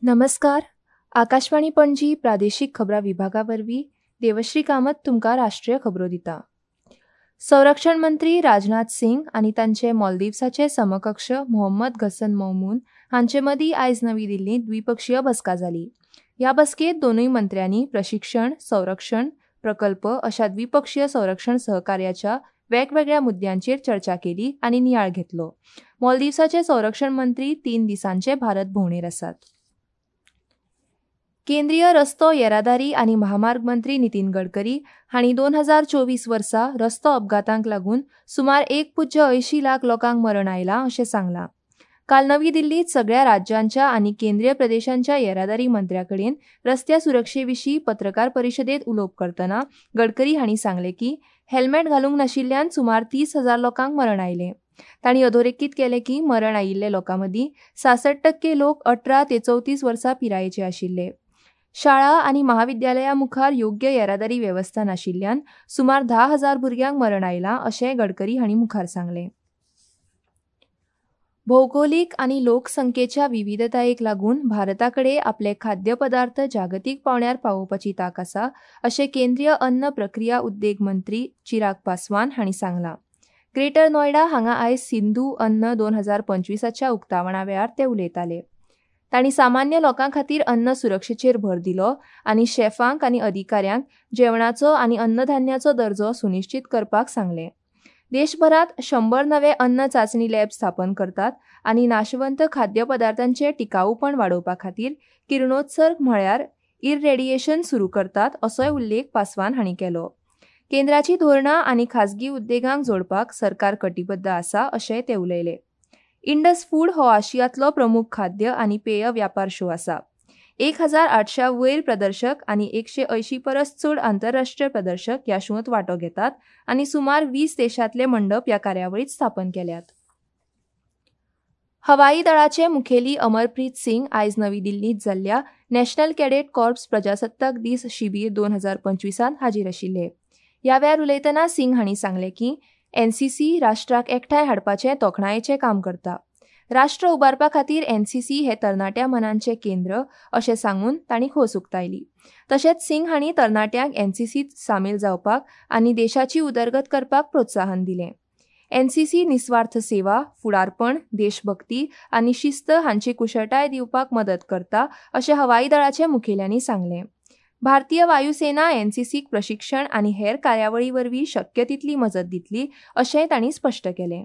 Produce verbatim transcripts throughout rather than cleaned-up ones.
नमस्कार, आकाशवाणी पणजी प्रादेशीक खबरां विभागा वरवीं देवश्री कामत तुमकां राष्ट्रीय खबरो दिता. संरक्षण मंत्री राजनाथ सिंग आनी तांचे मालदीवसाचे समकक्ष मोहम्मद घसन मौमून हांचे मदीं आयज नवी दिल्लींत द्विपक्षीय बसका जाली. ह्या बसकेंत दोनूय मंत्र्यांनी प्रशिक्षण, संरक्षण प्रकल्प अशा द्विपक्षीय संरक्षण सहकार्याच्या वेगवेगळ्या मुद्द्यांचेर चर्चा केली आनी नियाळ घेतलो. मालदीवसाचे संरक्षण मंत्री तीन दिसांचे भारत भोंवडेर आसात. केंद्रीय रस्तो येरादारी आनी महामार्ग मंत्री नितीन गडकरी हांणी दोन हजार चोवीस वर्सा रस्तो अपघातांक लागून सुमार एक पुज्य अंयशीं लाख लोकांक मरण आयलां अशें सांगलां. काल नवी दिल्लींत सगळ्या राज्यांच्या आनी केंद्रीय प्रदेशांच्या येरादारी मंत्र्या कडेन रस्त्या सुरक्षे विशीं पत्रकार परिशदेंत उलोवप करतना गडकरी हांणी सांगलें की हेल्मेट घालूंक नाशिल्ल्यान सुमार तीस हजार लोकांक मरण आयलें. तांणी अधोरेखीत केलें की मरण आयिल्ले लोकां मदीं सासठ टक्के लोक अठरा ते चवतीस वर्सां पिरायेचे आशिल्ले. शाळा आनी महाविद्यालया मुखार योग्य येरादारी वेवस्था नाशिल्ल्यान सुमार धा हजार भुरग्यांक मरण आयलां अशें गडकरी हांणी मुखार सांगलें. भौगोलिक आनी लोकसंख्येच्या विविधतायेक लागून भारता कडेन आपले खाद्यपदार्थ जागतीक पांवड्यार पावोवपाची तांक आसा अशें केंद्रीय अन्न प्रक्रिया उद्देग मंत्री चिराग पासवान हांणी सांगलां. ग्रेटर नोयडा हांगा आयज सिंधू अन्न दोन हजार पंचवीसाच्या उक्तावणा वेळार ते उलयताले. तांणी सामान्य लोकां खातीर अन्न सुरक्षेचेर भर दिलो आनी शेफांक आनी अधिकाऱ्यांक जेवणाचो आनी अन्नधान्याचो दर्जो सुनिश्चीत करपाक सांगलें. देशभरांत शंबर नवे अन्न चांचणी लॅब स्थापन करतात आनी नाशवंत खाद्यपदार्थांचें टिकाऊपण वाडोवपा खातीर किरणोत्सर्ग म्हळ्यार इररेडिएशन सुरू करतात असोय उल्लेख पासवान हांणी केलो. केंद्राची धोरणां आनी खाजगी उद्देगांक जोडपाक सरकार कटिबद्ध आसा अशेंय ते उलयले. इंडस फूड हो आशियांतलो प्रमुख खाद्य आनी पेय व्यापार शो आसा. एक हजार आठश्या वयर प्रदर्शक आनी एकशे अंयशीं परस चड आंतरराष्ट्रीय प्रदर्शक ह्या शोंत वांटो घेतात आनी सुमार वीस देशांतले मंडप ह्या कार्यावळींत स्थापन केल्यात. हवाई दळाचे मुखेली अमरप्रीत सिंग आयज नवी दिल्लींत जाल्ल्या नॅशनल कॅडेट कॉर्प्स प्रजासत्ताक दीस शिबीर दोन हजार पंचवीसांत हाजीर आशिल्ले. ह्या वेळार उलयतना सिंग हांणी सांगलें की एनसीसी राष्ट्राक एकठांय हाडपाचें तोखणायेचें काम करता. राष्ट्र उबारपा खातीर एनसीसी हे तरणाट्या मनांचें केंद्र अशें सांगून तांणी खोस उक्तायली. तशेंच सिंग हांणी तरणाट्यांक एनसीसीत सामील जावपाक आनी देशाची उदरगत करपाक प्रोत्साहन दिलें. एनसीसी निस्वार्थ सेवा, फुडारपण, देशभक्ती आनी शिस्त हांची कुशळटाय दिवपाक मदत करता अशें हवाई दळाच्या मुखेल्यांनी सांगलें. भारतीय वायुसेना एनसीसीक प्रशिक्षण आनी हेर कार्यावळी वरवीं शक्य तितली मजत दितली अशेंय तांणी स्पश्ट केलें.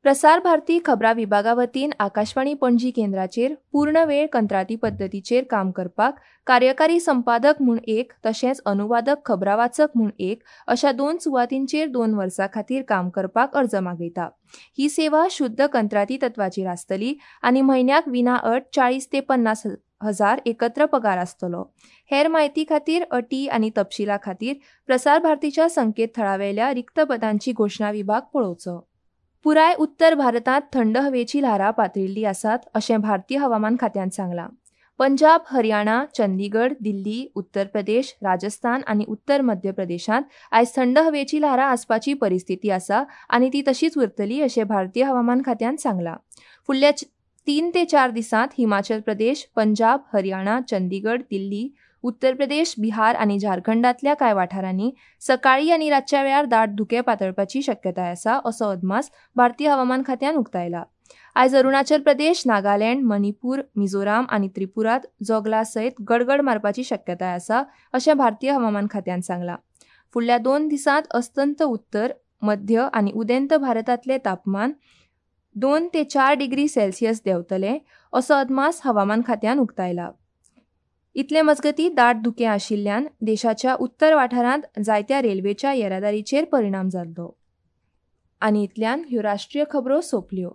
प्रसार भारती खबरां विभागा वतीन आकाशवाणी पणजी केंद्राचेर पूर्ण वेळ कंत्राटी पद्दतीचेर काम करपाक कार्यकारी संपादक म्हूण एक तशेंच अनुवादक खबरां वाचक म्हूण एक अशा दोन सुवातींचेर दोन वर्सां खातीर काम करपाक अर्ज मागयता. ही सेवा शुद्ध कंत्राटी तत्वाचेर आसतली आनी म्हयन्याक विना अट चाळीस ते पन्नास हजार एकत्र पगार आसतलो. हेर म्हायती खातीर अटी आनी तपशिला खातीर प्रसार भारतीच्या संकेतथळावेल्या रिक्त पदांची घोशणा विभाग पळोवचो. पुराय उत्तर भारतांत थंड हवेची ल्हारां पातळिल्लीं आसात अशें भारतीय हवामान खात्यान सांगलां. पंजाब, हरियाणा, चंदीगड, दिल्ली, उत्तर प्रदेश, राजस्थान आनी उत्तर मध्य प्रदेशांत आयज थंड हवेची ल्हारां आसपाची परिस्थिती आसा आनी ती तशीच उरतली अशें भारतीय हवामान खात्यान सांगलां. फुडल्या तीन ते चार दिसांत हिमाचल प्रदेश, पंजाब, हरियाणा, चंदीगड, दिल्ली, उत्तर प्रदेश, बिहार आनी झारखंडांतल्या कांय वाठारांनी सकाळीं आनी रातच्या वेळार दाट धुकें पातळपाची शक्यताय आसा असो अदमास भारतीय हवामान खात्यान उक्तायला. आयज अरुणाचल प्रदेश, नागालँड, मणिपूर, मिझोराम आनी त्रिपुरांत जोगला सयत गडगड मारपाची शक्यताय आसा अशें भारतीय हवामान खात्यान सांगलां. फुडल्या दोन दिसांत अस्तंत उत्तर, मध्य आनी उदेंत भारतांतलें तापमान दोन ते चार डिग्री सेल्सियस देंवतलें असो अदमास हवामान खात्यान उक्तायला. इतले मजगतीं दाट धुकें आशिल्ल्यान देशाच्या उत्तर वाठारांत जायत्या रेल्वेच्या येरादारीचेर परिणाम जाल्लो. आनी इतल्यान ह्यो राष्ट्रीय खबरो सोंपल्यो.